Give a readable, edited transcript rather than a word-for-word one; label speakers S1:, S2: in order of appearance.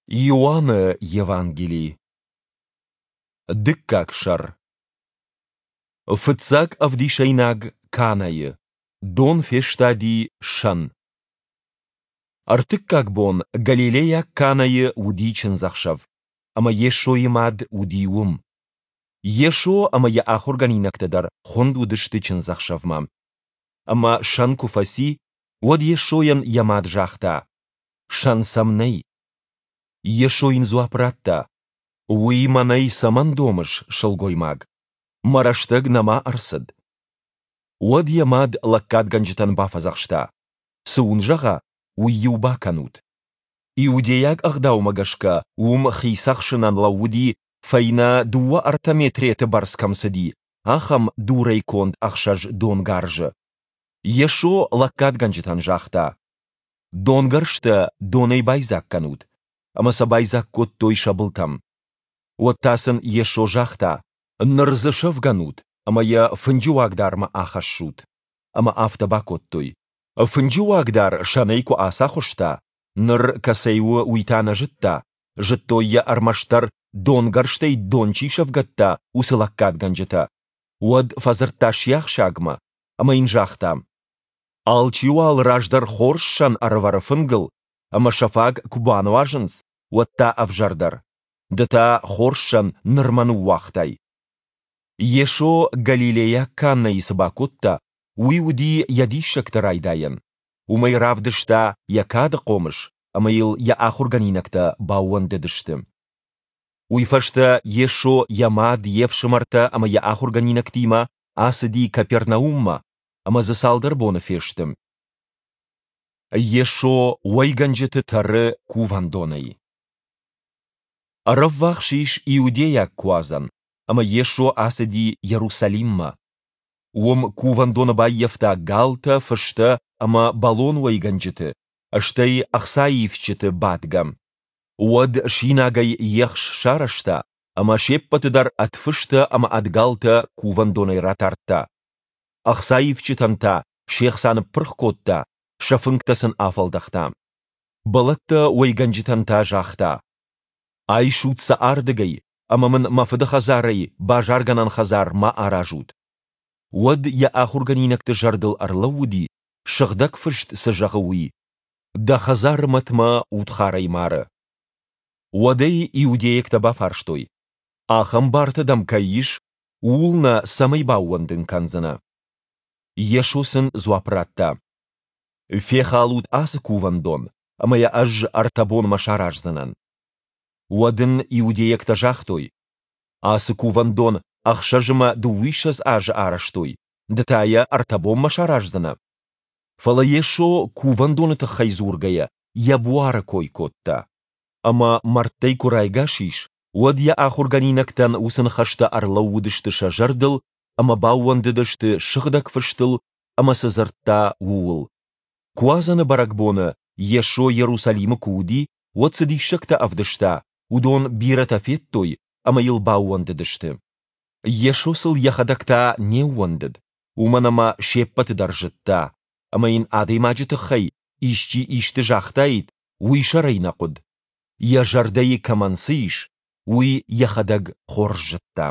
S1: Иоанны Евангели. Дыккаг сӕр. Фыццаг ӕвдисӕйнаг Канӕйы. Дон фестади сӕн. Ӕртыккаг бон Галилейаг Канӕйы уыди чындзӕхсӕв, ӕмӕ Йесойы мад уыди уым. Йесо ӕмӕ йӕ ахуыргӕнинӕгтӕ дӕр хуынд уыдысты чындзӕхсӕвмӕ. Ӕмӕ сӕн куы фӕци, уӕд Йесойӕн йӕ мад загъта: Сӕн сӕм нӕй. Йесо йын дзуапп радта: Уый мӕнӕй цӕмӕн домыс, сылгоймаг? Мӕ рӕстӕг нӕма ӕрцыд. Уӕд йӕ мад лӕггадгӕнджытӕн бафӕдзӕхста: Цы уын зӕгъа, уый-иу бакӕнут. Иудейаг ӕгъдаумӕ гӕсгӕ уым хи цӕхсынӕн лӕууыди, фӕйнӕ дыууӕ-ӕртӕ метреты бӕрц кӕм цыди, ахӕм дурӕй конд ӕхсӕз донгарзы. Йесо лӕггадгӕнджытӕн загъта: Донгӕрзтӕ донӕй байдзаг кӕнут. Ӕмӕ сӕ байдзаг кодтой сӕ былтӕм. Уӕд та сын Йесо загъта: Ныр дзы сӕвгӕнут ӕмӕ йӕ фынджы уагдармӕ ахӕссут. Ӕмӕ афтӕ бакодтой. Фынджы уагдар сӕнӕй куы ацахуыста, ныр кӕцӕй у, уый та нӕ зыдта, зыдтой йӕ ӕрмӕстдӕр, донгӕрзтӕй дон чи сӕвгӕдта, уыцы лӕггадгӕнджытӕ. Уӕд фӕдзырдта сиахсагмӕ ӕмӕ йын загъта: Алчи уал раздӕр хорз сӕн ӕрӕвӕры фынгыл, ӕмӕ сӕ фаг куы бануазынц, уӕд та ӕвзӕрдӕр. Ды та хорз сӕн нырмӕ ныууагътай. Йесо Галилейаг Каннӕйы цы бакодта, уый уыди йӕ диссӕгты райдайӕн. Уымӕй равдыста йӕ кады хъомыс, ӕмӕ йыл йӕ ахуыргӕнинӕгтӕ баууӕндыдысты. Уый фӕстӕ Йесо йӕ мад, йе фсымӕртӕ ӕмӕ йӕ ахуыргӕнинӕгтимӕ ацыди Капернауммӕ, ӕмӕ дзы цалдӕр боны фесты. Йесо уӕйгӕнджыты тӕры кувӕндонӕй. Ӕрӕввахс ис Иудейаг Куадзӕн, ӕмӕ Йесо ацыди Иерусалиммӕ. Уым кувӕндоны баййӕфта галтӕ, фыстӕ ӕмӕ бӕлон уӕйгӕнджыты, стӕй ӕхцаивджыты бадгӕ. Уӕд синагӕй ехс сарӕзта ӕмӕ се ппӕты дӕр ӕд фыстӕ ӕмӕ ӕд галтӕ кувӕндонӕй ратардта. Ӕхцаивджытӕн та се хца ныппырх кодта, сӕ фынгтӕ сын афӕлдӕхта. Бӕлӕттӕ уӕйгӕнджытӕн та загъта: «Айсут сӕ ардыгӕй ӕмӕ мын мӕ фыды хӕдзарӕй базаргӕнӕн хӕдзар ма аразут». Уӕд йӕ ахуыргӕнинӕгты зӕрдыл ӕрлӕууыди, Сыгъдӕг Фыст цы зӕгъы, уый: «Дӕ хӕдзары мӕт мӕ удхарӕй мары». Уӕд ӕй иудейӕгтӕ бафарстой: «Ахӕм бартӕ дӕм кӕй ис, ууыл нӕ цӕмӕй баууӕндын кӕндзынӕ?» Йесо сын дзуапп радта: «Фехалут ацы кувӕндон, ӕмӕ йӕ Ӕз ӕртӕ бонмӕ сараздзынӕн». Уӕд ын иудейӕгтӕ загътой: «Ацы кувӕндон ӕхсӕз ӕмӕ дыууиссӕдз азы арӕзтой, ды та йӕ ӕртӕ бонмӕ сараздзынӕ?» Фӕлӕ Йесо кувӕндоны тыххӕй дзургӕйӕ йӕ буары кой кодта. Ӕмӕ мӕрдтӕй куы райгас ис, уӕд йӕ ахуыргӕнинӕгтӕн уыцы ныхӕстӕ ӕрлӕууыдысты сӕ зӕрдыл ӕмӕ баууӕндыдысты Сыгъдӕг Фыстыл ӕмӕ цы дзырдта, ууыл. Куадзӕны бӕрӕгбоны Йесо Иерусалимы куы уыди, уӕд цы диссӕгтӕ ӕвдыста, уыдон бирӕтӕ федтой ӕмӕ йыл баууӕндыдысты. Йесо сыл йӕхӕдӕг та не ууӕндыд, уымӕн ӕмӕ се ппӕты дӕр зыдта, ӕмӕ йын адӕймаджы тыххӕй исчи исты загътаид, уый сӕр ӕй нӕ хъуыд. Йӕ зӕрдӕйы кӕмӕн цы ис, уый йӕхӕдӕг хорз зыдта.